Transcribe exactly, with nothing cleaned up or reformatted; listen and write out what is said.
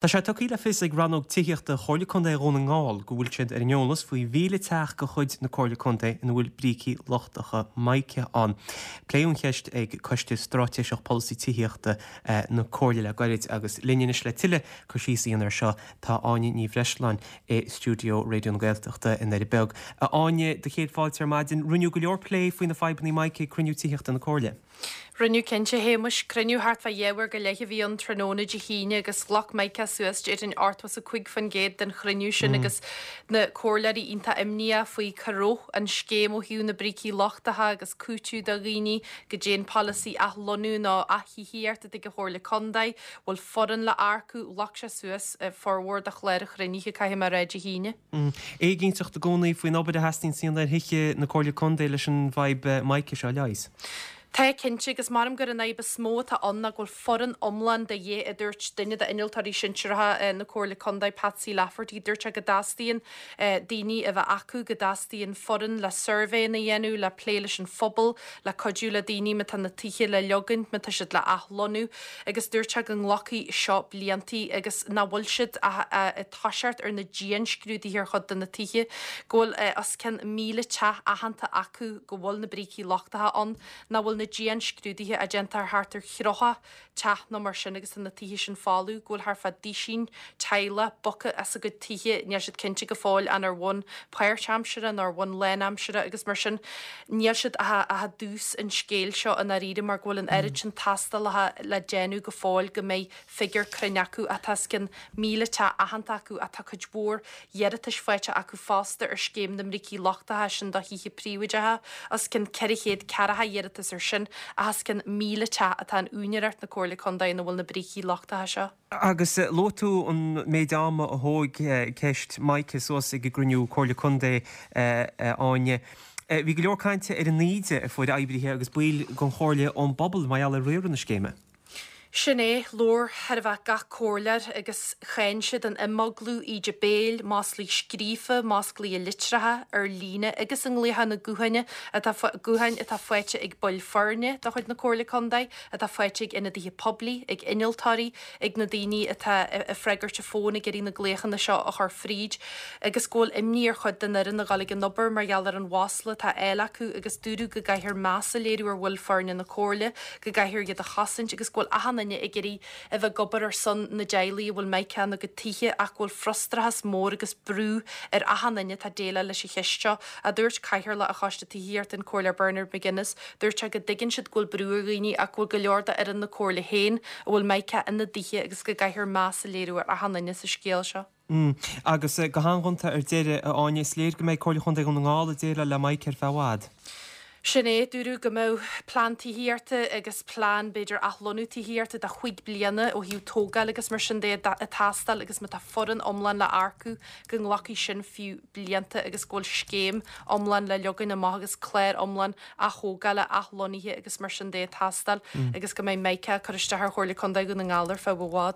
Tá sé tugtha le fios ag rannóg tithíochta Chomhairle Contae Dhún na nGall go bhfuil siad ar an eolas faoi mhíle teach de chuid na Comhairle Contae ina bhfuil brící lochtacha mica ann. Pléadh an cheist ag Coiste Straitéiseach Polasaí Tithíochta na Comhairle le gairid agus linn anois le tuilleadh cur síos a dhéanamh air seo tá Áine Ní Bhreisleáin i stiúideo Raidió na Gaeltachta i nDoire Beag. A Áine, do chéad fáilte ar maidin, rinneadh go leor plé faoi na fadhbanna mica ag cruinniú tithíochta na Comhairle. Rinneadh cinnte, a Shéamais, cruinniú thart fá dhá uair go leith a bhí ann tráthnóna Dé hAoine agus ghlac Mica suas déarfainn ochtó is a cúig faoin gcéad den chruinniú sin agus na comhairleoirí iontach imníoch faoi cá raibh an scéim ó thaobh na brící lochtacha agus cúiteamh do dhaoine, goidé an polasaí athlonnú nó ath-thithíocht atá ag an Chomhairle Contae, bhfuil foireann le earcú, ghlac sé suas formhór de chlár an chruinnithe, caithfidh mé a rá, Dé hAoine. Éiginnteacht i gcónaí faoin obair a theastaíonn a dhéanamh ar thithe na Comhairle Contae leis an bhfadhb mica seo a leigheas. Tá, cinnte, agus measaim gur an fhadhb is mó atá ann ná go bhfuil foireann iomlán de dhíth, a dúirt duine d'innealtóirí sinsearacha na Comhairle Contae, Patsy Lafferty. Dúirt sé go dteastaíonn daoine a bheith acu, go dteastaíonn foireann le suirbhéanna a dhéanamh, le plé leis an phobal, le cuidiú le daoine má tá na tithe le leogaint, má tá siad le athlonnú. Agus dúirt sé go nglacfaidh seo bliantaí agus nach bhfuil siad ach ag toiseacht ar na dianscrúduithe ar chuid de na tithe, go bhfuil os cionn míle teach aitheanta acu go bhfuil na brící lochtacha ann. nach bhfuil na dianscrúduithe á déanamh ar thart ar thríocha teach nó mar sin agus tá na tithe sin folamh, go bhfuil thart fá duisín teaghlach bogtha as a gcuid tithe, níl siad cinnte go fóill an ar bhonn páirtaimseartha nó ar bhonn lánaimseartha agus mar sin níl siad ach ach i dtús an scéil seo i ndáiríre mar go bhfuil an oiread sin tástálacha le déanamh go fóill go mbeidh figiúr cruinn acu ach tá os cionn míle teach aitheanta acu ach tá cuid mhór iarratais faighte acu fosta ar scéim na mbrící lochtacha sin do thithe príobháideacha, os cionn ceithre chéad ceathracha iarratas ar sin ach os cionn míle teach atá in úinéireacht na Comhairle Contae ina bhfuil na brící lochtacha seo. Agus luaigh tú an méid ama a thóg ceist mica suas ag an gcruinniú Comhairle Contae, a Áine. Bhí go leor cainte ar an íde a fuair oibrithe agus baill den Chomhairle ón bpobal mar gheall ar riaradh na scéime. Sin é, labhair chóir a bheith gach comhairleoir agus cháin siad an imeaglú, íde béil, maslaí scríofa, maslaí i litreacha, ar líne agus i nglaochanna gutháin atá gutháin atá faighte ag baill foirne de chuid na Comhairle Contae, atá faighte ag ionadaithe poiblí, ag innealtóirí, ag na daoine atá ag freagairt an fóin ag iarraidh na glaochanna seo a chur fríd agus go bhfuil imní ar chuid den fhoireann a dhul ag an obair mar gheall ar an mhasla atá á fháil acu agus dúradh go gcaithfear meas a léiriú ar bhaill foirne na Comhairle, go gcaithfear iad a chosaint agus go bhfuil achan duine ag iarraidh a bheith ag obair ar son na dteaghlaigh a bhfuil mica ina gcuid tithe ach go bhfuil frustrachas mór agus brú ar achan duine atá ag déileáil leis an cheist seo, a dúirt Cathaoirleach an Choiste Tithíochta, an Comhairleoir Bernard McGuinness. Dúirt sé go dtuigeann siad go bhfuil brú ar dhaoine ach go bhfuil go leor d'fhoireann na Comhairle féin a bhfuil mica ina dtithe agus go gcaithfear meas a léiriú ar achan duine sa scéal seo. Agus go han-ghonta ar deireadh, a Áine, is léir go mbeidh Comhairle Chontae Dhún na nGall ag déileáil le mica ar feadh i bhfad. Sin é, dúradh go mbeadh plean tithíochta agus plean, b'fhéidir, athlonnú tithíochta do chúig bliana ó thaobh tógáil agus mar sin de ag teastáil agus má tá foireann iomlán le earcú go nglacfaidh sin fiú blianta agus go bhfuil scéim iomlán le leagan amach agus clár iomlán aththógála, athlonnaithe agus mar sin de ag teastáil agus go mbeidh mica ag cur isteach ar Chomhairle Contae Dhún na nGall ar feadh i bhfad.